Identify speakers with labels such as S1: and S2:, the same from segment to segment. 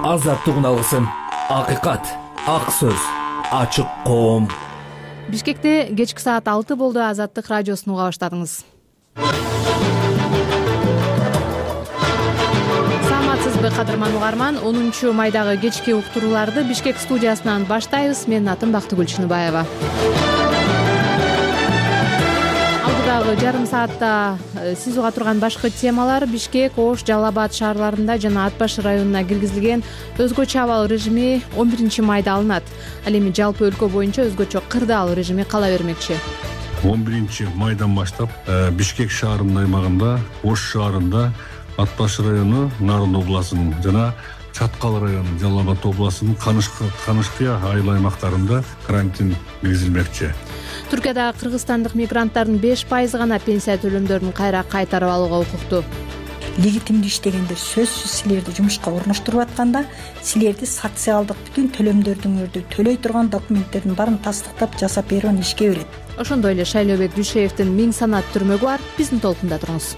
S1: азаттык үналысын. Акыйкат, ак сөз, ачык коом.
S2: Бишкекте кечки саат 6 болду. Азаттык радиосун уга баштадыңыз. Саламатсызбы, кадырман угарман? 10 майдагы кечки уктурууларды Бишкек студиясынан баштайбыз. Менин атым Бактыгүл Чыныбаева. Алдыдагы жарым саатта сиз уга турган башкы темалар: Бишкек, Ош, Жалал Абад шаарларында жана Ат баш районуна киргизилген өзгөчө абал режими 11 майда алынат. Ал эми жалпы өлкө боюнча өзгөчө кырдаал режими кала бермекчи.
S3: 11 майдан баштап Бишкек шаарынын аймагында, Ош шаарында, Ат баш району, Нарын областынын жана Чаткал району, Жалал Абад областынын Канышкыя айыл аймактарында карантин киргизилмекчи.
S2: Түркияда кыргызстандык мигранттардын 5% гана пенсия төлөмдөрүн кайра кайтарып алууга укуктуу.
S4: Легитимдүү иштегенде сөзсүз силерди жумушка орноштуруп атканда, силерди социалдык бүтүн төлөмдөрдүңөрдү төлөй турган документтердин баарын тастыктап жасап берүүнү ишке берет.
S2: Ошондой эле Шайлообек Дүйшеевдин 1000 санат түрмөгү бар. Биздин толкунда туруңуз.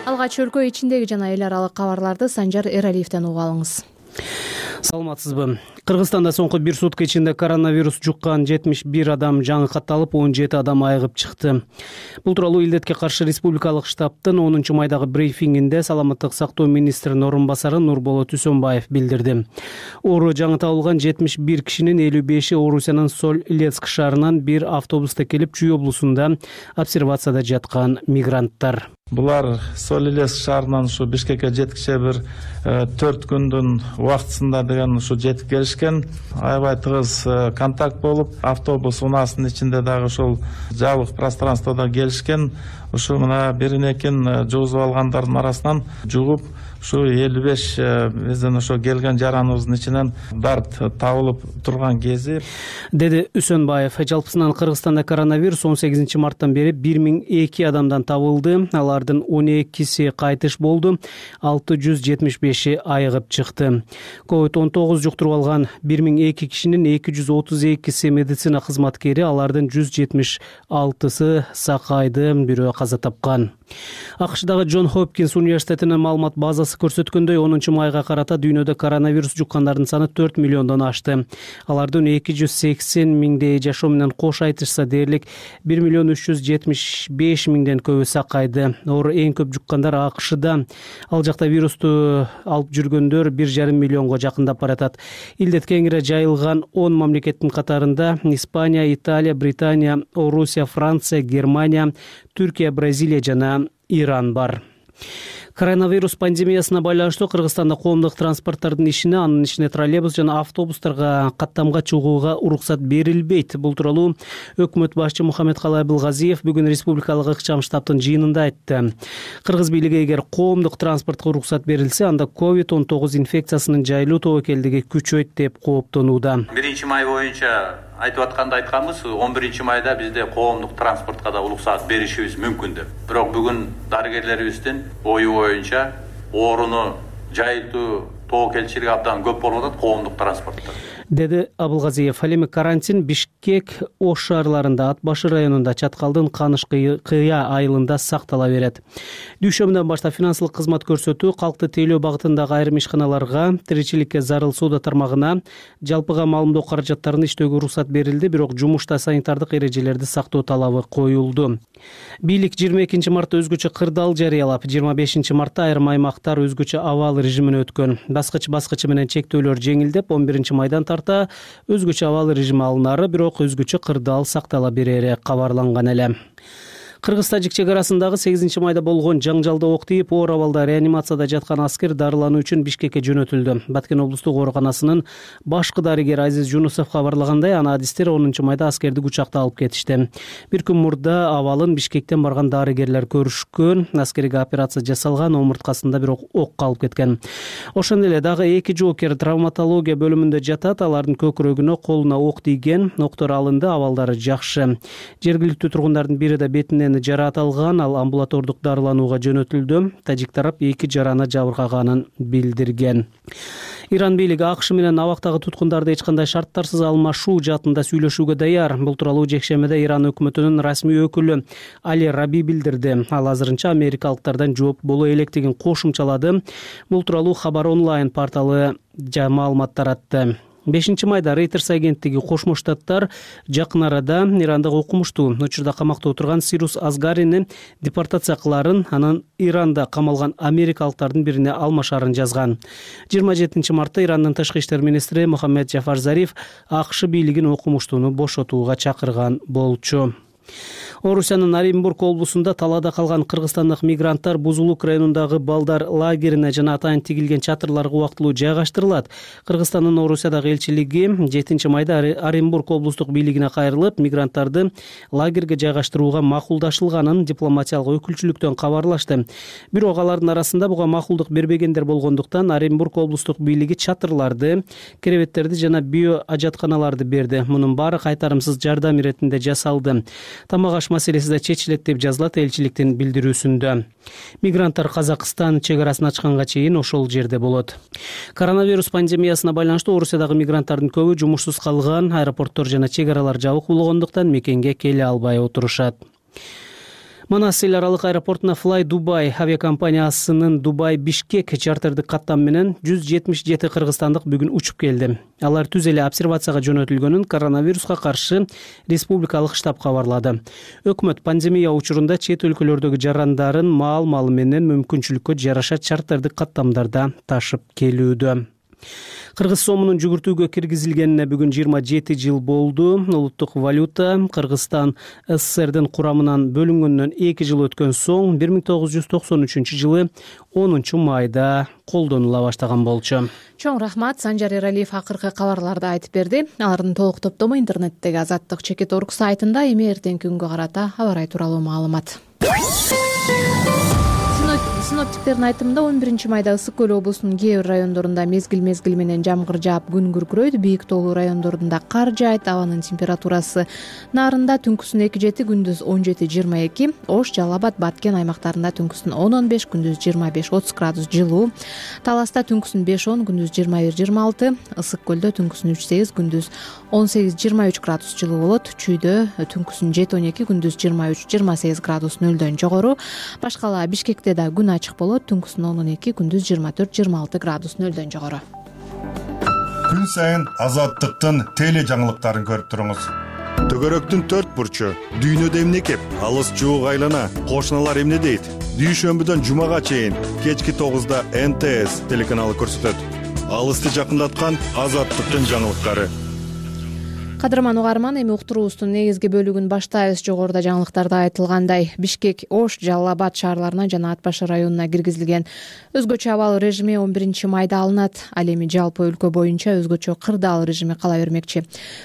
S2: Алгач өлкө ичиндеги жана эл аралык кабарларды Санжар Эралиевден угуп алыңыз.
S5: Саламатсызбы. Кыргызстанда соңку бир сутка ичинде коронавирус жуккан 71 адам жаңы катталып, 17 адам айыгып чыкты. Бул тууралуу илдетке каршы республикалык штабтын 10 майдагы брифингинде саламаттык сактоо министринин орун басары Нурболот Үсөнбаев билдирди. Оору жаңы табылган 71 кишинин 55-и Орусиянын Соль-Илецк шаарынан бир автобуста келип, Чүй облусунда обсервацияда жаткан мигранттар.
S6: Булар Соль-Илецк шаарынан ушу Бишкекке жеткиче бир 4 күндүн убактысында деген ушу жетип келишкен. Аябай тыгыз контакт болуп, автобус унаасынын ичинде дагы ушул жабык пространствода келишкен. Ушу мына бирин-экин жугузуп алгандардын арасынан жугуп, ушу 55 биздин ошо келген жараныбыздын ичинен дарт табылып турган кези,
S5: деди Үсөнбаев. Жалпысынан Кыргызстанда коронавирус 18 марттан бери 1002 адамдан табылды. Алардын 12си кайтыш болду, 675и айыгып чыкты. COVID-19 жуктуруп алган 1002 кишинин 232си медицина кызматкери, алардын 176сы сакайды, бирөө каза тапкан. АКШдагы Джон Хопкинс университетинин маалымат базасы көрсөткөндөй, 10 майга карата дүйнөдө коронавирус жуккандардын саны 4 миллиондон ашты. Алардын 280 миңдей жашоо менен кош айтышса дээрлик 1 миллион 375 миңден көбү сакайды. Оору эң көп жуккандар АКШда. Ал жакта вирусту алып жүргөндөр 1,5 миллионго жакындап баратат. Илдет кеңири жайылган 10 мамлекеттин катарында Испания, Италия, Британия, Орусия, Франция, Германия, Түркия, Бразилия жана Иран бар. Коронавирус пандемиясына байланыштуу Кыргызстанда коомдук транспорттардын ишине, анын ичине троллейбус жана автобустарга каттамга чыгууга уруксат берилбейт. Бул тууралуу өкмөт башчы Мухаммедкалый Абылгазиев бүгүн республикалык ыкчам штабтын жыйынында айтты. Кыргыз бийлиги эгер коомдук транспортко уруксат берилсе, анда COVID-19 инфекциясынын жайылуу тобокелдиги күчөйт деп кооптонууда.
S7: 1 май боюнча айтып атканда айтканбыз, 11 майда бизде коомдук транспортко да уруксат беришибиз мүмкүн деп. Бирок бүгүн дарыгерлерибиздин ою боюнча ооруну жайылтуу тобокелчилиги абдан көп болуп атат коомдук транспортто,
S5: деди Абылгазиев. Ал эми карантин Бишкек, Ош шаарларында, Ат баш районунда, Чаткалдын Канышкыя айылында сактала берет. Дүйшөмүнөн баштап финансылык кызмат көрсөтүү, калкты тейлөө багытындагы айрым ишканаларга, тиричиликке зарыл соода тармагына, жалпыга маалымдоо каражаттарын иштөөгө уруксат берилди, бирок жумушта санитардык эрежелерди сактоо талабы коюлду. Бийлик 22 мартта өзгөчө кырдаал жарыялап, 25 мартта айрым аймактар өзгөчө абал режимине өткөн. Баскыч менен чектөөлөр жеңилдеп, 11 майдан тарта өзгөчө абал режими алынары, бирок өзгөчө кырдаал сактала берери кабарланган эле. Кыргыз-Тажик чек арасындагы 8 майда болгон жаңжалда ок тийип, оор абалда реанимацияда жаткан аскер дарылануу үчүн Бишкекке жөнөтүлдү. Баткен облустук ооруканасынын башкы дарыгери Азиз Жунусов кабарлагандай, анализдер 10 майда аскерди учакта алып кетишти. Бир күн мурда абалын Бишкектен барган дарыгерлер көрүшкөн. Аскерге операция жасалган, омурткасында бирок ок калып кеткен. Ошондой эле дагы 2 жоокер травматология бөлүмүндө жатат. Алардын көкүрөгүнө, колуна ок тийген. Октор алынды, абалдары жакшы. Жергиликтүү тургундардын бири да бетинен жараат алган, ал амбулатордук дарыланууга жөнөтүлдү. Тажик тарап 2 жараны жабыркаганын билдирген. Иран бийлиги АКШ менен абактагы туткундарды эч кандай шарттарсыз алмашуу жаатында сүйлөшүүгө даяр. Бул тууралуу жекшемеде Иран өкмөтүнүн расмий өкүлү Али Раби билдирди. Ал азырынча америкалыктардан жооп боло электигин кошумчалады. Бул тууралуу Хабар онлайн порталы маалымат таратты. 5-майда Reuters агенттиги Кошмо Штаттар жакын арада Ирандагы окумуштуу учурда камакта отурган Сирус Азгарини депортация кыларын, анан Иранда камалган америкалыктардын бирине алмашарын жазган. 27 мартта Ирандын тышкы иштер министри Мухаммед Джафар Зариф АКШ бийлигин окумуштууну бошотууга чакырган болчу. Орусиянын Оренбург облусунда талаада калган кыргызстандык мигранттар Бузулук районундагы балдар лагерине жана атайын тигилген чатырларга убактылуу жайгаштырылат. Кыргызстандын Орусиядагы элчилиги 7-майда Оренбург облустук бийлигине кайрылып, мигранттарды лагерге жайгаштырууга макулдашылганын дипломатиялык өкүлчүлүктөн кабарлашты. Бирок алардын арасында буга макулдук бербегендер болгондуктан Оренбург облустук бийлиги чатырларды, керебеттерди жана био ажатканаларды берди. Мунун баары кайтарымсыз жардам иретинде жасалды. Тамак аш маселеси да чечилет деп жазылат элчиликтин билдирүүсүндө. Мигранттар Казакстан чек арасын ачканга чейин ошол жерде болот. Коронавирус пандемиясына байланыштуу Орусиядагы мигранттардын көбү жумушсуз калган, аэропорттор жана чек аралар жабык болгондуктан мекенге келе албай отурушат. Манас эл аралык аэропортуна Fly Dubai авиакомпаниясынын Дубай-Бишкек чартердик каттам менен 177 кыргызстандык бүгүн учуп келди. Алар түз эле обсервацияга жөнөтүлгөнүн коронавируска каршы республикалык штаб кабарлады. Өкмөт пандемия учурунда чет өлкөлөрдөгү жарандарын маал-малы менен мүмкүнчүлүккө жараша чартердик каттамдарда ташып келүүдө. Кыргыз сомунун жүгүртүүгө киргизилгенине бүгүн 27 жыл болду. Улуттук валюта Кыргызстан СССРдин курамынан бөлүнгөндөн 2 жыл өткөн соң 1993 жылы 10 майда колдонула баштаган болчу.
S2: Чоң рахмат, Санжар Эралиев акыркы кабарларды айтып берди. Алардын толук топтому интернеттеги Азаттык.org сайтында эми эртеңки күнгө карата аба ырайы тууралуу маалымат. Синоптиктердин айтымында 11 майда Ысык көл облусунун кээ бир райондорунда мезгил менен жамгыр жаап күн күркүрөйт, бийик тоолуу райондорунда кар жаайт, абанын температурасы нарында түнкүсүн 2-7, күндүз 17-22, Ош, Жалал Абад, Баткен аймактарында түнкүсүн 10-15, күндүз 25-30 градус жылуу, Таласта түнкүсүн 5-10, күндүз 21-26, Ысык көлдө түнкүсүн 3-8, күндүз 18-23 градус жылуу болот, Чүйдө түнкүсүн 7-12, күндүз 23-28 градус нөлдөн жогору, башкала Бишкекте да күн ачык болот, түнкүсүн 10-12, күндүз 24-26 градус нөлдөн жогору.
S8: Күн сайын Азаттыктын теле жаңылыктарын көрүп туруңуз. Төгөрөктүн 4 бурчу, дүйнөдө эмне кеп, алыс жуук айлана, кошуналар эмне дейт? Дүйшөмбүдөн жумага чейин кечки 9-да НТС телеканалы көрсөтөт. Алысты жакындаткан Азаттыктын жаңылыктары.
S2: Кадырман угарман, эми уктуруубуздун негизги бөлүгүн баштайбыз. Жогоруда жаңылыктарда айтылгандай, Бишкек, Ош, Жалал Абад шаарларына жана Ат башы районуна киргизилген өзгөчө абал режими 11 майда алынат. Ал эми жалпы өлкө боюнча өзгөчө кырдаал режими кала бермекчи.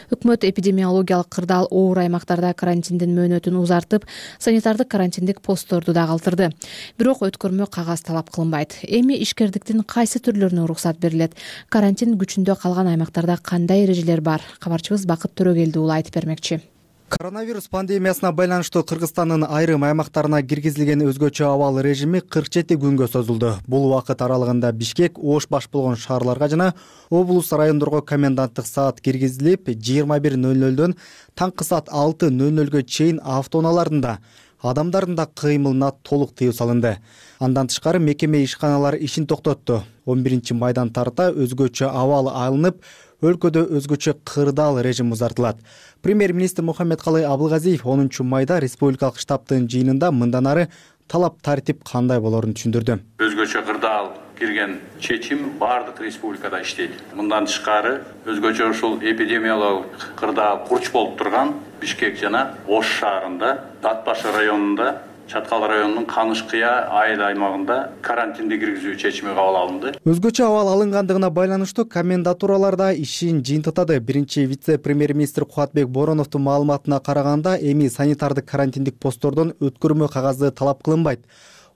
S2: Өкмөт эпидемиологиялык кырдаал оор аймактарда карантиндин мөөнөтүн узартып, санитардык карантиндик постторду да калтырды. Бирок өткөрмө кагаз талап кылынбайт. Эми ишкердиктин кайсы түрлөрүнө уруксат берилет? Карантин күчүндө калган аймактарда кандай эрежелер бар? Кабарчыбыз Төрөгелди уулу айтып бермекчи.
S9: Коронавирус пандемиясына байланыштуу Кыргызстандын айрым аймактарына киргизилген өзгөчө абал режими 47 күнгө созулду. Бул убакыт аралыгында Бишкек, Ош баш болгон шаарларга жана облус райондорго коменданттык саат киргизилип, 21:00дөн таңкы саат 6:00гө чейин автоунааларында адамдардын да кыймылына толук тыюу салынды. Андан тышкары мекеме ишканалары ишин токтотту. 11 майдан тарта өзгөчө абал алынып, өлкөдө өзгөчө кырдаал режим узартылат. Премьер-министр Мухаммедкалый Абылгазиев 10 майда республикалык штабтын жыйынында мындан ары талап тартип кандай болорун түшүндүрдү.
S7: Өзгөчө кырдаал кирген чечим баардык республикада иштейт. Мындан тышкары өзгөчө ушул эпидемиологиялык кырдаал курч болуп турган Бишкек жана Ош шаарында, Ат башы районунда, Чаткал районунун Каныш-Кыя айыл аймагында карантинди киргизүү чечими кабыл алынды.
S9: Өзгөчө абал алынгандыгына байланыштуу комендатураларда ишин жыйынтыктады. Биринчи вице-премьер-министр Кубатбек Бороновдун маалыматына караганда, эми санитардык карантиндик посттордон өткөрмө кагазы талап кылынбайт.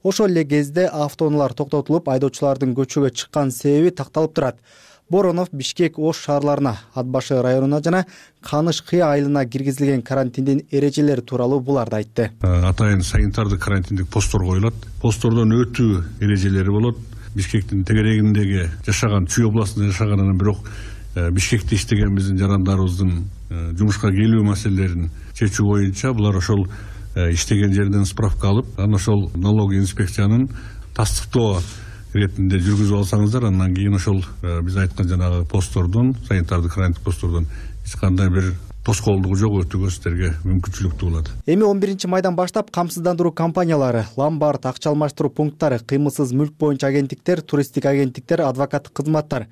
S9: Ошол эле кезде автоунаалар токтотулуп, айдоочулардын көчөгө чыккан себеби такталып турат. Боронов Бишкек, Ош шаарларына, Ат башы районуна жана Каныш-Кыя айылына киргизилген карантиндин эрежелери тууралуу буларды айтты.
S3: Атайын санитардык карантиндик посттор коюлат. Посттордон өтүү эрежелери болот. Бишкектин тегерегиндеги жашаган, Чүй областында жашаганынан бирок Бишкекте иштеген биздин жарандарыбыздын жумушка келүү маселелерин чечүү боюнча булар ошол иштеген жерден справка алып, анан ошол налоговый инспекциянын тастыктоо иретинде жүргүзүп алсаңыздар, андан кийин ошол биз айткан жанагы посттордон, санитардык карантин посттордон эч кандай бир тоскоолдугу жок өтүүгө сиздерге мүмкүнчүлүктүү болот.
S9: Эми 11 майдан баштап камсыздандыруу компаниялары, ломбард, акча алмаштыруу пункттары, кыймылсыз мүлк боюнча агенттиктер, туристтик агенттиктер, адвокаттык кызматтар,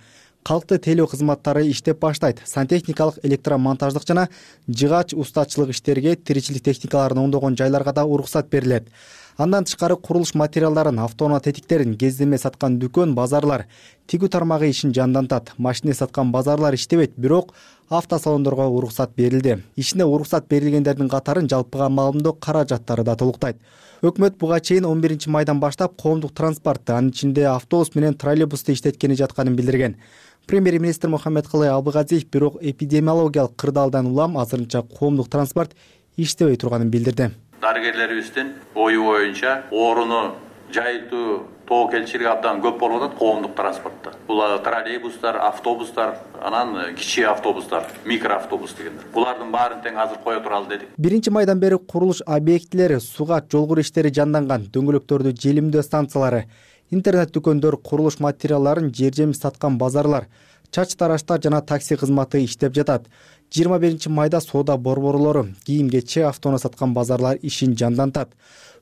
S9: калкты тейлөө кызматтары иштеп баштайт. Сантехникалык, электромонтаждык жана жыгач устачылык иштерге, тиричилик техникаларын оңдогон жайларга да уруксат берилет. Андан тышкары курулуш материалдарын, автоунаа тетиктерин кездеме саткан дүкөн, базарлар, тигүү тармагы ишин жандантат. Машина саткан базарлар иштебейт, бирок автосалондорго уруксат берилди. Ишине уруксат берилгендердин катарын жалпыга маалымдоо каражаттары да толуктайт. Өкмөт буга чейин 11 майдан баштап коомдук транспортты, анын ичинде автобус менен троллейбусту иштеткени жатканын билдирген. Премьер-министр Мухаммедкалый Абылгазиев бирок эпидемиологиялык кырдаалдан улам азырынча коомдук транспорт иштебей турганын билдирди.
S7: Дарыгерлерибиздин ою боюнча орууну жайылтуу тобокелчилиги абдан көп болуп атат коомдук транспортто. Бул троллейбустар, автобустар, анан кичи автобустар, микроавтобус дегендер. Булардын баарын тең азыр кое туралы дедик.
S9: 1 майдан бери курулуш объектилери, суга жолгуруу иштери жанданган, дөңгөлөктөрдү желимдөө станциялары, интернет дүкөндөр, курулуш материалдарын жер жемиш саткан базарлар, чач тараштар жана такси кызматы иштеп жатат. 21 майда соода борборлору, кийим-кече, автоунаа саткан базарлар ишин жандантат.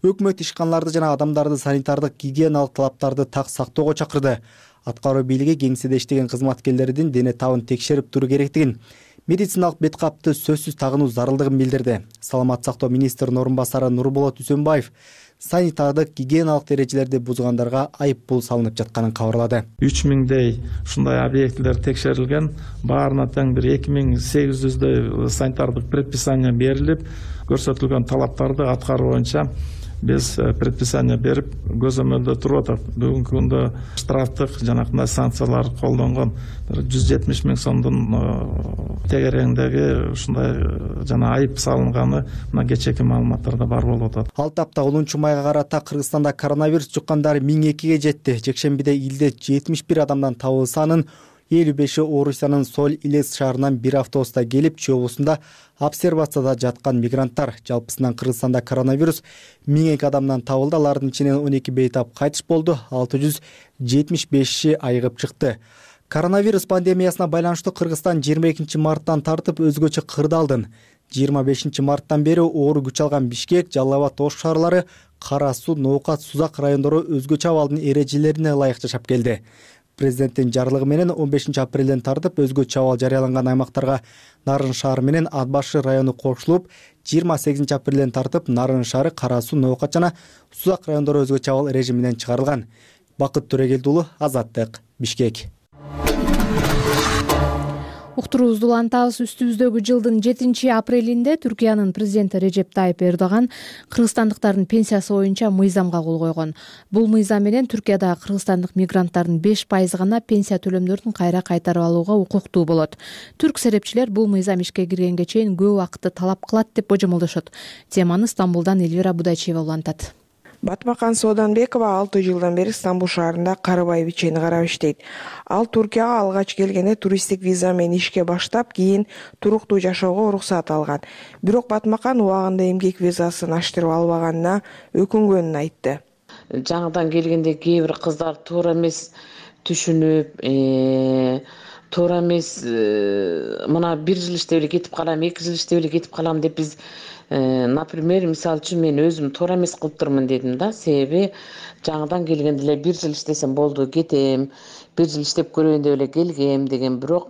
S9: Өкмөт ишканаларды жана адамдарды санитардык гигиеналык талаптарды так сактоого чакырды. Аткаруу бийлиги кеңседе иштеген кызматкерлердин дене табын текшерип туруу керектигин, медициналык бет капты сөзсүз тагынуу зарылдыгын билдирди. Саламаттык сактоо министринин орун басары Нурболот Үсөнбаев санитардык гигиеналык эрежелерди бузгандарга айып пул салынып жатканын кабарлады.
S6: 3000дей ушундай объектилер текшерилген, баарына тең бир 2800дөй санитардык предписание берилип, көрсөтүлгөн талаптарды аткаруу боюнча биз предписание берип көзөмөлдө туруп атат. Бүгүнкү күндө штрафтык жанакындай санкциялар колдонгон 170 000 сомдун тегерегиндеги ушундай жана айып салынганы мына кечээки маалыматтарда бар болуп атат.
S9: Ал тапта 10 майга карата Кыргызстанда коронавирус жуккандар 1002ге жетти. Жекшембиде илде 71 адамдан табылсанын 55-и Орусиянын Соль-Илец шаарынан бир автобуста келип, Чүй облусунда обсервацияда жаткан мигранттар. Жалпысынан Кыргызстанда коронавирус 1002 адамдан табылды. Алардын ичинен 12 бейтап кайтыш болду, 675-и айыгып чыкты. Коронавирус пандемиясына байланыштуу Кыргызстан 22 марттан тартып өзгөчө кырдаалдын. 25 марттан бери оору күч алган Бишкек, Жалал Абад, Ош шаарлары, Кара Суу, Ноокат, Сузак райондору өзгөчө абалдын эрежелерине ылайык жашап келди. Президенттин жарлыгы менен 15 апрелден тартып өзгөчө абал жарыяланган аймактарга Нарын шаары менен Ат башы району кошулуп, 28 апрелден тартып Нарын шаары, Кара Суу, Ноокат жана Сузак райондору өзгөчө абал режиминен чыгарылган. Бакыт Төрөгелди уулу, Азаттык, Бишкек.
S2: Уктуруубузду улантабыз. Үстүбүздөгү жылдын 7 апрелинде Түркиянын президенти Режеп Тайып Эрдоган кыргызстандыктардын пенсиясы боюнча мыйзамга кол койгон. Бул мыйзам менен Түркияда кыргызстандык мигранттардын 5% гана пенсия төлөмдөрүн кайра кайтарып алууга укуктуу болот. Түрк серепчилер бул мыйзам ишке киргенге чейин көп убакытты талап кылат деп божомолдошот. Теманы Стамбулдан Элвира Будайчиева улантат.
S10: Батмакан Сооданбекова 6 жылдан бери Стамбул шаарында карыбай бичени карап иштейт. Ал Туркияга алгач келгенде туристтик виза менен ишке баштап, кийин туруктуу жашоого уруксат алган. Бирок Батмакан убагында эмгек визасын аштырып албаганына өкүнгөнүн айтты.
S11: Жаңыдан келгенде кээ бир кыздар туура эмес түшүнүп, туура эмес мына 1 жыл иштеп эле кетип калам, 2 жыл иштеп эле кетип калам деп биз например, мисалы үчүн мен өзүм туура эмес кылып турмун дедим да. Себеби жаңыдан келгенде эле 1 жыл иштесем болду, кетем, 1 жыл иштеп көрөйүн деп эле келгем деген, бирок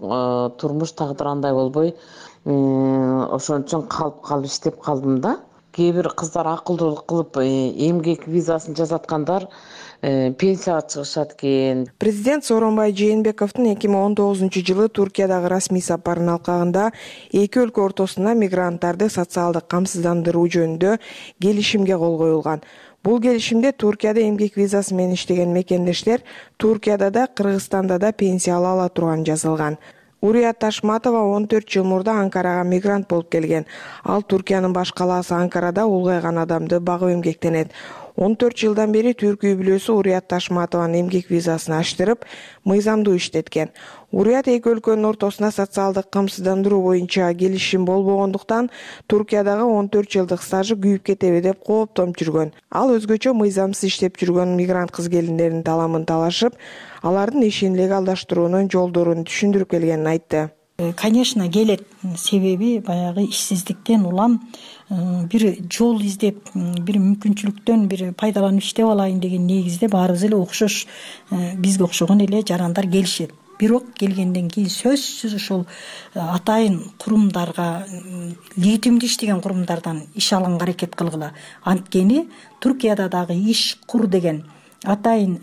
S11: турмуш тагдыр андай болбой, ошон үчүн калып иштеп калдым да. Кээ бир кыздар акылдуулук кылып эмгек визасын жасаткандар пенсияга чыгышат экен.
S10: Президент Сооронбай Жээнбековдун 2019 жылы Туркиядагы расмий сапарын алкагында эки өлкө ортосунда мигранттарды социалдык камсыздандыруу жөнүндө келишимге кол коюлган. Бул келишимде Туркияда эмгек визасы менен иштеген мекендештер Туркияда да, Кыргызстанда да пенсия ала турган жазылган. Урият Ташматова 14 жыл мурда Анкарага мигрант болуп келген. Ал Туркиянын баш калаасы Анкарада улгайган адамды багып эмгектенет. 14 жылдан бери түрк үй бүлөсү Урият Ташматованын эмгек визасын аштырып, мыйзамдуу иштеткен. Урият эки өлкөнүн ортосуна социалдык камсыздандыруу боюнча келишим болбогондуктан Туркиядагы 14 жылдык стажы күйүп кетеби деп кооптонуп жүргөн. Ал өзгөчө мыйзамсыз иштеп жүргөн мигрант кыз келиндердин таламын талашып, алардын ишин легалдаштыруунун жолдорун түшүндүрүп келгенин айтты.
S4: Конечно, келет. Себеби баягы ишсиздиктен улам бир жол издеп, бир мүмкүнчүлүктөн бир пайдаланып иштеп алайын деген негизде баарыбыз эле окшош, бизге окшогон эле жарандар келишет. Бирок келгенден кийин сөзсүз ошол атайын курумдарга, легитимдүү иштеген курумдардан иш алганга аракет кылгыла. Анткени Туркияда дагы иш кур деген атайын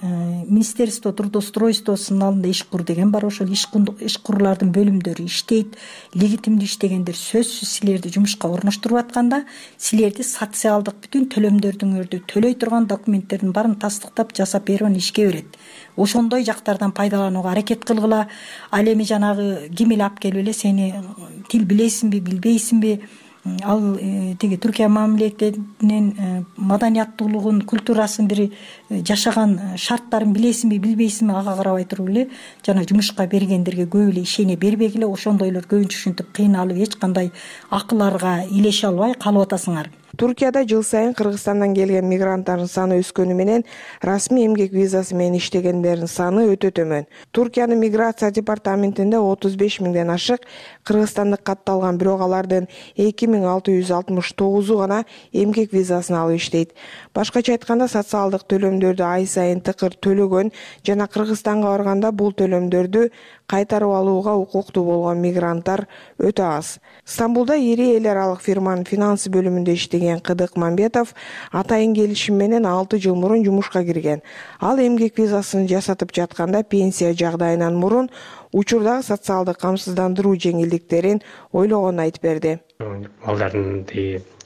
S4: Министерство трудоустройствосунун алдында иш кур деген бар. Ошол иш курлардын бөлүмдөрү иштейт. Легитимдүү иштегендер сөзсүз силерди жумушка орноштуруп атканда, силерди социалдык бүтүн төлөмдөрдүңөрдү төлөй турган документтердин баарын тастыктап жасап берип анан ишке берет. Ошондой жактардан пайдаланууга аракет кылгыла. Ал эми жанагы ким эле алып келип эле сени тил билесиңби, билбейсиңби? Ал тиги Түркия мамлекетинин маданияттуулугун, культурасын, бир жашаган шарттарын билесиңби, билбейсиңби, ага карабай туруп эле жана жумушка бергендерге көп эле ишене бербегиле. Ошондойлор көбүнчө ушинтип кыйналып, эч кандай акыларга илеше албай калып атасыңар.
S10: Туркияда жыл сайын Кыргызстандан келген мигранттардын саны өскөнү менен расмий эмгек визасы менен иштегендердин саны өтө төмөн. Туркиянын миграция департаментинде 35 миңден ашык кыргызстандык катталган, бирок алардын 2669-у гана эмгек визасын алып иштейт. Башкача айтканда, социалдык төлөмдөрдү ай сайын тыкыр төлөгөн жана Кыргызстанга барганда бул төлөмдөрдү кайтарып алууга укуктуу болгон мигранттар өтө аз. Стамбулда ири эл аралык фирманын финансы бөлүмүндө иштеген Кыдык Мамбетов атайын келишим менен 6 жыл мурун жумушка кирген. Ал эмгек визасын жасатып жатканда пенсия жагдайынан мурун учурдагы социалдык камсыздандыруу жеңилдиктерин ойлогонун айтып берди.
S12: Балдардын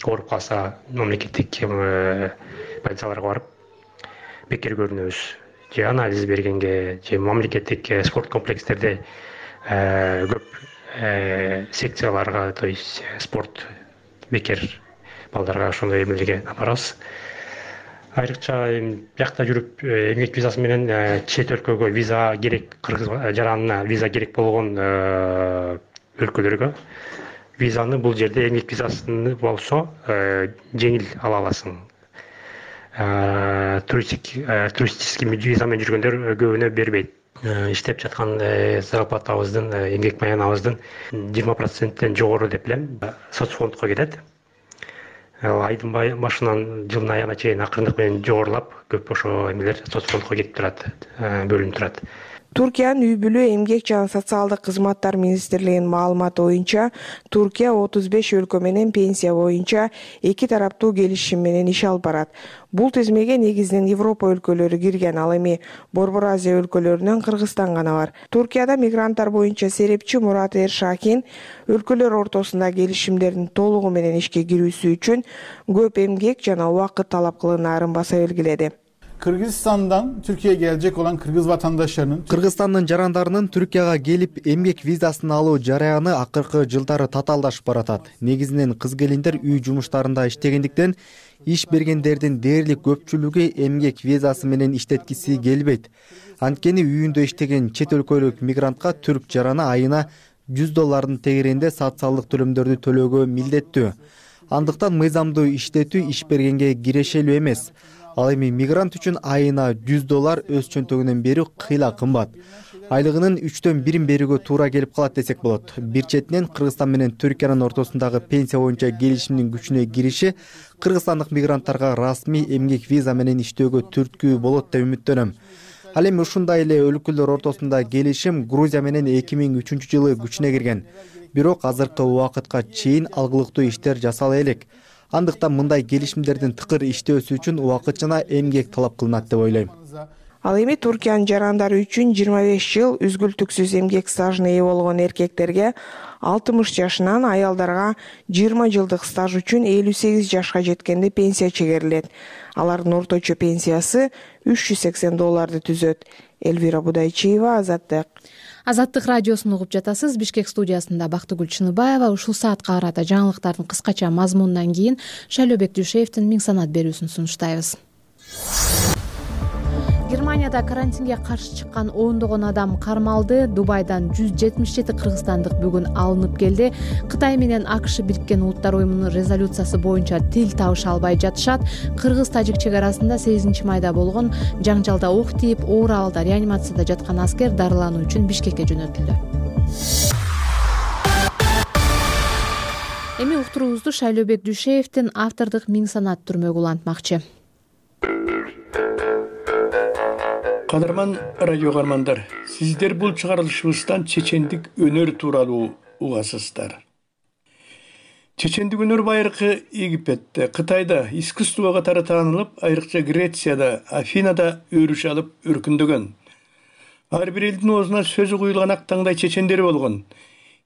S12: ооруп калса мамлекеттик больницаларга барып бекер көрүнөбүз. Же анализ бергенге, же мамлекеттик спорт комплекстерде көп секцияларга, то есть спорт бекер балдарга ошондой эмелерге апарабыз. Айрыкча биякта жүрүп эмгек визасы менен чет өлкөгө виза керек, кыргыз жаранына виза керек болгон өлкөлөргө визаны бул жерде эмгек визасы болсо жеңил ала аласың. Туристический визамен жүргөндөр көбүнө бербейт. Иштеп жаткан зарплатабыздын, эмгек маянабыздын 20%-тен жогору деп билем, соцфондко кетет. Айдын башынан жылдын аягына чейин акырындык менен жогорулап, көп ошо эмелер соцфондко кетип турат, бөлүнүп турат.
S10: Туркиянын үй бүлө, эмгек жана социалдык кызматтар министрлигинин маалыматы боюнча, Туркия 35 өлкө менен пенсия боюнча эки тараптуу келишим менен иш алып барат. Бул тизмеге негизинен Европа өлкөлөрү кирген, ал эми Борбор Азия өлкөлөрүнөн Кыргызстан гана бар. Туркияда мигранттар боюнча серепчи Мурат Эршакин өлкөлөр ортосунда келишимдердин толугу менен ишке кирүүсү үчүн көп эмгек жана убакыт талап кылынаарын баса белгиледи.
S13: Kırgızistan'dan Türkiye'ye gelecek olan Kırgız vatandaşlarının
S9: Kırgızstandын жарандарынын Түркияга келип эмгек визасын алуу жараяны акыркы жылдары татаалдашып баратат. Негизинен кыз келиндер үй жумуштарында иштегендиктен иш бергендердин дээрлик көпчүлүгү эмгек визасы менен иштеткиси келбейт. Анткени үйүндө иштеген чет өлкөлүк мигрантка түрк жараны айына $100 тегеренде социалдык төлөмдөрдү төлөөгө милдеттүү. Андыктан мыйзамдуу иштетүү иш бергенге кирешелүү эмес. Ал эми мигрант үчүн айына $100 өз чөнтөгүнөн берүү кыйла кымбат. Айлыгынын 1/3 берүүгө туура келип калат десек болот. Бир четинен Кыргызстан менен Түркиянын ортосундагы пенсия боюнча келишимдин күчүнө кириши кыргызстандык мигранттарга расмий эмгек виза менен иштөөгө түрткү болот деп үмүттөнөм. Ал эми ушундай эле өлкөлөр ортосунда келишим Грузия менен 2003-жылы күчүнө кирген. Бирок азыркы убакытка чейин алгылыктуу иштер жасала элек. Андыктан мындай келишимдердин тыкыр иштөөсү үчүн убакытчана эмгек талап кылынат деп ойлойм.
S10: Ал эми Туркиянын жарандары үчүн 25 жыл үзгүлтүксүз эмгек стажына ээ болгон эркектерге 60 жашынан, аялдарга 20 жылдык стаж үчүн 58 жашка жеткенде пенсия чегерилет. Алардын орточо пенсиясы $380 түзөт. Элвира Будайчиева,
S2: Азаттык радиосун угуп жатасыз. Бишкек студиясында Бактыгүл Чыныбаева. Ушул саатка карата жаңылыктардын кыскача мазмунунан кийин Шайлообек Дүйшеевдин Миң санат берүүсүн сунуштайбыз. Германияда карантинге каршы чыккан ондогон адам кармалды. Дубайдан 177 кыргызстандык бүгүн алынып келди. Кытай менен АКШ Бириккен Улуттар уюмунун резолюциясы боюнча тил табыша албай жатышат. Кыргыз-тажик чек арасында 8 майда болгон жаңжалда ок тийип, оор абалда реанимацияда жаткан аскер дарылануу үчүн Бишкекке жөнөтүлдү. Эми уктуруубузду Шайлообек Дүйшеевдин автордук Миң санат түрмөгү улантмакчы.
S14: Кадырман радио кармандар, сиздер бул чыгарылышыбыздан чечендик өнөр тууралуу угасыздар. Чечендик өнөр байыркы Египетте, Кытайда искусство катары таанылып, айрыкча Грецияда, Афинада өрүш алып өркүндөгөн. Ар бир элдин оозуна сөзү куюлган ак таңдай чечендери болгон.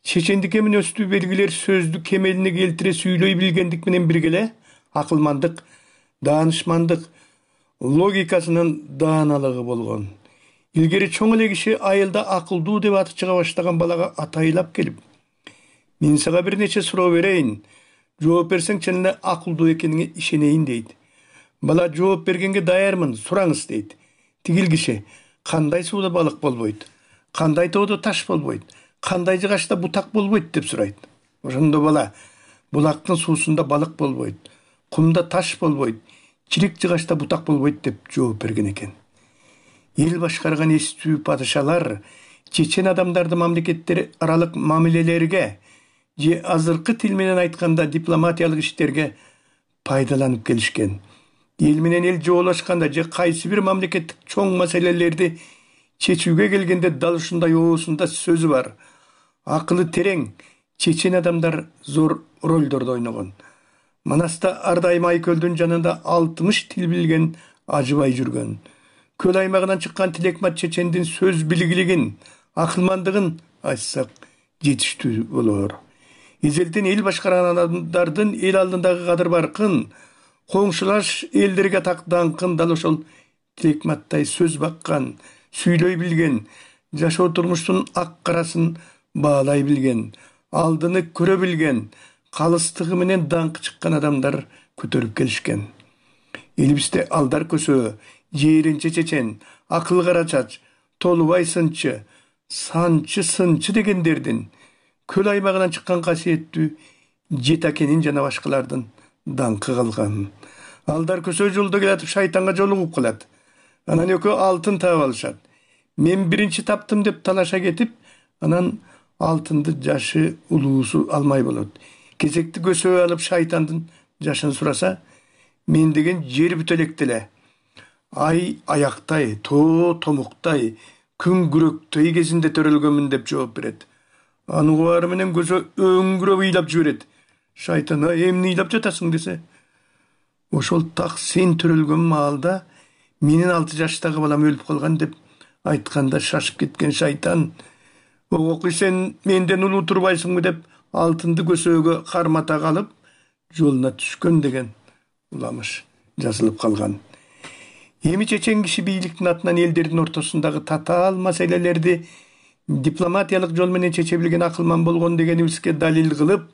S14: Чечендикке мүнөстүү белгилер сөздү кемелине келтире сүйлөй билгендик менен бирге эле акылмандык, даанышмандык, логикасынын дааналыгы болгон. Илгери чоң эле киши айылда акылдуу деп аты чыга баштаган балага атайлап келип: "Мен сага бир нече суроо берейин. Жооп берсең чын эле акылдуу экениңе ишенейин" дейт. Бала жооп бергенге даярмын, сураңыз дейт. Тигил киши: "Кандай сууда балык болбойт? Кандай тоодо таш болбойт? Кандай жыгачта бутак болбойт?" деп сурайт. Ошондо бала: "Булактын суусунда балык болбойт, кумда таш болбойт, чирик жыгачта бутак болбойт" деп жооп берген экен. Эл башкарган эстүү падышалар чечен адамдарды мамлекеттер аралык мамилелерге же азыркы тил менен айтканда дипломатиялык иштерге пайдаланып келишкен. Эл менен эл жоолашканда же кайсы бир мамлекеттик чоң маселелерди чечүүгө келгенде дал ушундай оосунда сөзү бар, акылы терең чечен адамдар зор ролдорду ойногон. Манаста ар дайым Айкөлдүн жанында 60 тил билген ажыбай жүргөн. Көл аймагынан чыккан Тилекмат чечендин сөз билгилигин, акылмандыгын айтсак жетиштүү болор. Эзелден эл башкарган адамдардын эл алдындагы кадыр баркын, коңшулаш элдерге даңкын дал ошол Тилекматтай сөз баккан, сүйлөй билген, жашоо турмуштун ак карасын баалай билген, алдыны көрө билген, калыстыгы менен даңкы чыккан адамдар көтөрүп келишкен. Элибизде Алдар Көсө, Жээринче чечен, Акыл Карачач, Толубай сынчы, Санчы сынчы дегендердин көл аймагынан чыккан касиеттүү Жетакенин жана башкалардын даңкы калган. Алдар Көсө жолдо келатып шайтанга жолугуп калат. Анан экөө алтын таап алышат. "Мен биринчи таптым" деп талаша кетип, анан алтынды жашы улуусу алмай болот. Кезекти Көсө алып шайтандын жашын сураса, "Мен деген жер бүтөлек эле. Ай аяктай, тоо томуктай, күн күрөктөй кезинде төрөлгөнмүн" деп жооп берет. Аны убары менен Көсө өңгүрөп ыйлап жиберет. Шайтан: "Эмне ыйлап жатасың?" десе, "Ошол так сен төрөлгөн маалда менин 6 жаштагы балам өлүп калган" деп айтканда шашып кеткен шайтан: "Огокуй, сен менден улуу турбайсыңбы" деп алтынды Көсөгө кармата калып жолуна түшкөн деген уламыш жазылып калган. Эми чечен киши бийликтин атынан элдердин ортосундагы татаал маселелерди дипломатиялык жол менен чече билген акылман болгон дегенибизге далил кылып,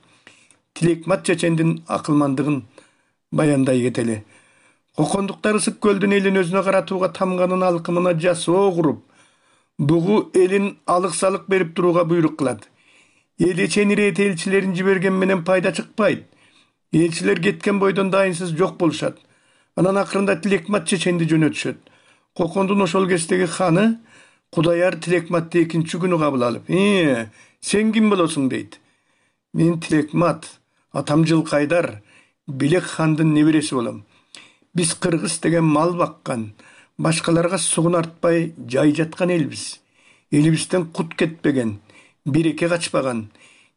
S14: Тилекмат чечендин акылмандыгын баяндай кетели. Кокондуктар Ысык көлдүн элин өзүнө каратууга тамганын алкымына жасоо куруп, бугу элин алык-салык берип турууга буйрук кылат. Эл эчен ирет элчилерин жиберген менен пайда чыкпайт. Элчилер кеткен бойдон дайынсыз жок болушат. Анан акырында Тилекмат чеченди жөнөтүшөт. Кокондун ошол кездеги ханы Кудаяр Тилекматты экинчи күнү кабыл алып: "Сен ким болосуң?" дейт. "Мен Тилекмат, атам Жылкайдар, Белек хандын небереси болом. Биз кыргыз деген мал баккан, башкаларга сугун артпай жай жаткан элбиз. Элибизден кут кетпеген, береке качпаган,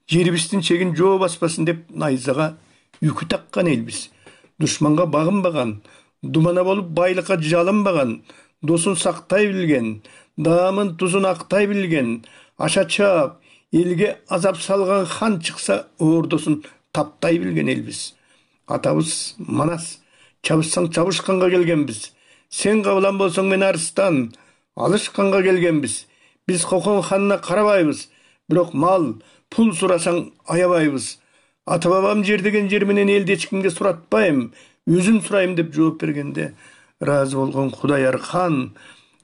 S14: жерибиздин чегин жоо баспасын деп найзага үкү таккан элбиз. Душманга багынбаган, думана болуп байлыкка жалынбаган, досун сактай билген, даамын тузун актай билген, аша чаап, элге азап салган хан чыкса ордосун таптай билген элбиз. Атабыз Манас, чабышсаң чабышканга келгенбиз. Сен кабылан болсоң мен Арыстан, алышканга келгенбиз. Биз Кокон ханына карабайбыз, бирок мал, пул сурасаң аябайбыз. Ата бабам жер деген жер менен элди эч кимге суратпайм, өзүм сурайм" деп жооп бергенде, ыраазы болгон Кудаяр хан: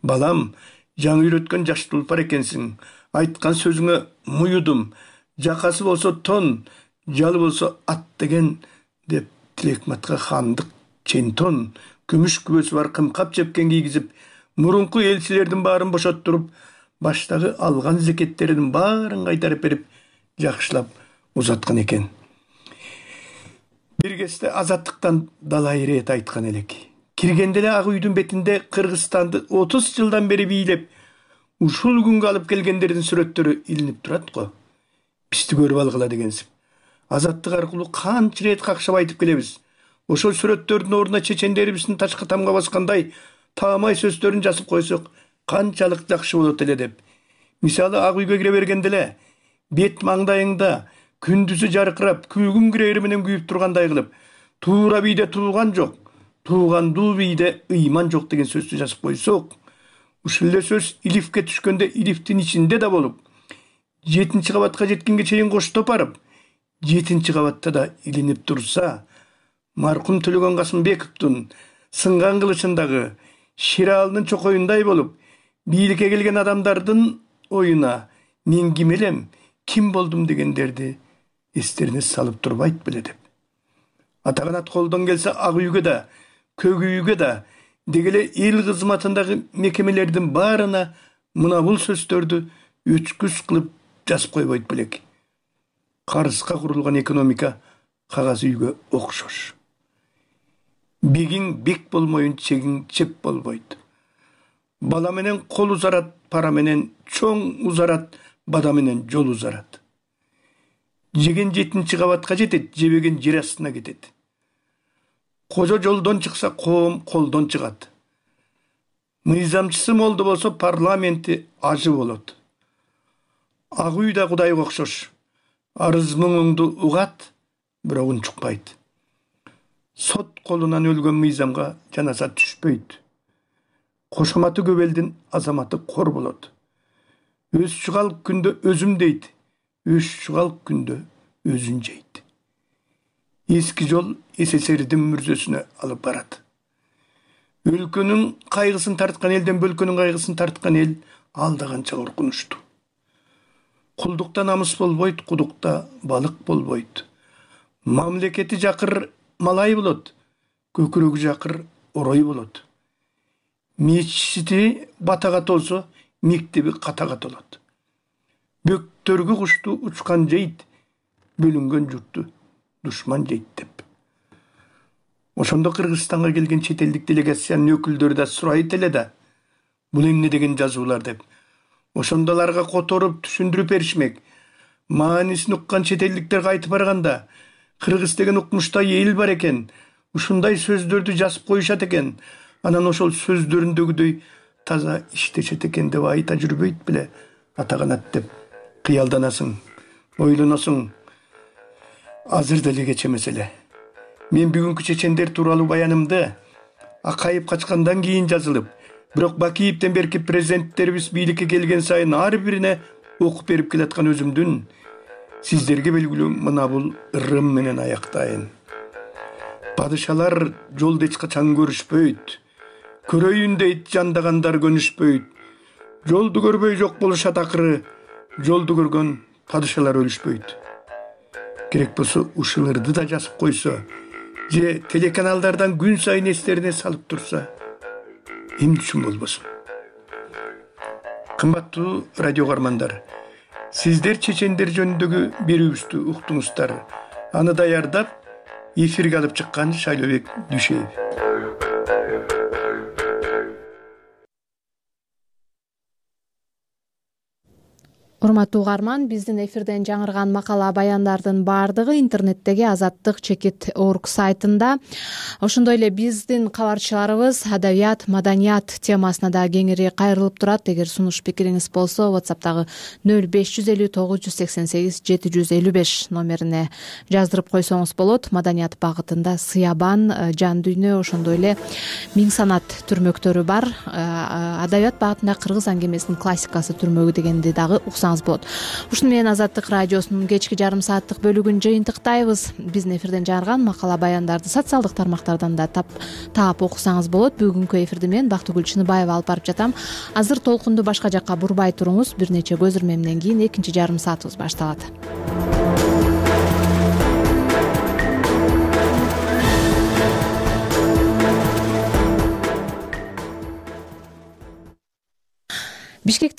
S14: балам, жаңы үйрөткөн жаш тулпар экенсиң. Айткан сөзүңө муюдум. Жакасы болсо тон, жалы болсо ат деген деп Тилекматка хандык чентон, күмүш күбөсү бар кымкап жепкен кийгизип, мурунку элчилердин баарын бошоттуруп, баштагы алган зекеттеринин баарын кайтарып берип, жакшылап узаткан экен. Бир кезде азаттыктан далай ирет айткан элек. Киргенде эле ак үйдүн бетинде Кыргызстанды 30 жылдан бери бийлеп, ушул күнгө алып келгендердин сүрөттөрү илинип турат го. Бизди көрүп алгыла дегенсип. Азаттык аркылуу канча ирет какшап айтып келебиз. Ошол сүрөттөрдүн ордуна чечендерибиздин ташка тамга баскандай таамай сөздөрүн жазып койсок, канчалык жакшы болот эле деп. Мисалы, ак үйгө кире бергенде эле бет маңдайыңда күндүзү жаркырап, күлгүн кирери менен күйүп тургандай кылып, туура бийде туулган жок, туулгандуу бийде ыйман жок деген сөздү жазып койсок, ушул эле сөз илифке түшкөндө илифтин ичинде да болуп, 7 кабатка жеткенге чейин коштоп барып, 7 кабатта да илинип турса, маркум Төлөгөн Касымбековдун сынган кылычындагы Ширалынын чокоюндай болуп, бийликке келген адамдардын оюна мен ким элем, ким болдум дегендерди эстерине салып турбайт беле деп. Атаганат колдон келсе ак үйгө да, көк үйгө да, дегеле эл кызматындагы мекемелердин баарына мына бул сөздөрдү өчкүс кылып жазып койбойт белек. Карызга курулган экономика кагаз үйгө окшош. Бегиң бек болмойун, чегиң чеп болбойт. Бала менен кол узарат, пара менен чоң узарат, бада менен жол узарат. Жеген 7 кабатка жетет, жебеген жер астына кетет. Кожо жолдон чыкса, коом колдон чыгат. Мыйзамчысы молду болсо, парламенти ажы болот. Ак үй да Кудайга окшош. Арыз муңуңду угат, бирок унчукпайт. Сот колунан өлгөн мыйзамга жаназа түшпөйт. Кошоматы көп элдин азаматы кор болот. Өз чугал күндө өзүм дейт, өз чугал күндө өзүн жейт. Эски жол СССРдин мүрзөсүнө алып барат. Өлкөнүн кайгысын тарткан элден бөлкөнүн кайгысын тарткан эл алдаганча коркунучтуу. Кулдукта намыс болбойт, кудукта балык болбойт. Мамлекети жакыр малай болот, көкүрөгү жакыр орой болот. Мечити батага толсо, мектеби катага толот. Бөктөргү кушту учкан жейт, бөлүнгөн журтту душман жейт деп. Ошондо Кыргызстанга келген чет элдик делегациянын өкүлдөрү да сурайт эле да, бул эмне деген жазуулар деп. Ошондоларга которуп түшүндүрүп беришмек. Маанисин уккан чет элдиктер кайтып барганда, Кыргыз деген укмуштай эл бар экен, ушундай сөздөрдү жазып коюшат экен, анан ошол сөздөрүндөгүдөй таза иштешет экен деп айта жүрбөйт беле Атаганат деп кыялданасың, ойлоносуң. Азыр деле кеч эмес эле. Мен бүгүнкү чечендер тууралуу баянымды Акаев качкандан кийин жазылып, бирок Бакиевден берки президенттерибиз бийликке келген сайын ар бирине окуп берип келаткан өзүмдүн сиздерге белгилүү мына бул ырым менен аяктайын. Падышалар жолду эч качан көрүшпөйт. Көрөйүн дейт жандагандар көнүшпөйт. Жолду көрбөй жок болушат акыры, жолду көргөн падышалар өлүшпөйт. Керек болсо ушул ырды да жазып койсо, же телеканалдардан күн сайын эстерине салып турса, эмне үчүн болбосун? Кымбаттуу радио каармандар, сиздер чечендер жөнүндөгү берүүбүздү уктуңуздар. Аны даярдап, эфирге алып чыккан Шайлообек Дүйшеев.
S2: Урматтуу угарман, биздин эфирден жаңырган макала баяндардын баардыгы интернеттеги Азаттык _org сайтында. Ошондой эле биздин кабарчыларыбыз адабият, маданият темасына да кеңири кайрылып турат. Эгер сунуш пикириңиз болсо, WhatsApp'тагы 0550 988 755 номерине жаздырып койсоңуз болот. Маданият багытында Сыябан, Жан дүйнө, ошондой эле Миң санат түрмөктөрү бар. Адабият багытында Кыргыз аңгемесинин классикасы түрмөгү дегенди дагы уксаңыз алсаңыз болот. Ушуну менен Азаттык радиосунун кечки жарым сааттык бөлүгүн жыйынтыктайбыз. Биздин эфирден жарган макала баяндарды социалдык тармактардан да таап окусаңыз болот. Бүгүнкү эфирди мен Бактыгүл Чыныбаева алып барып жатам. Азыр толкунду башка жакка бурбай туруңуз. Бир нече көз ирмемден кийин экинчи жарым саатыбыз башталат. Бишкекте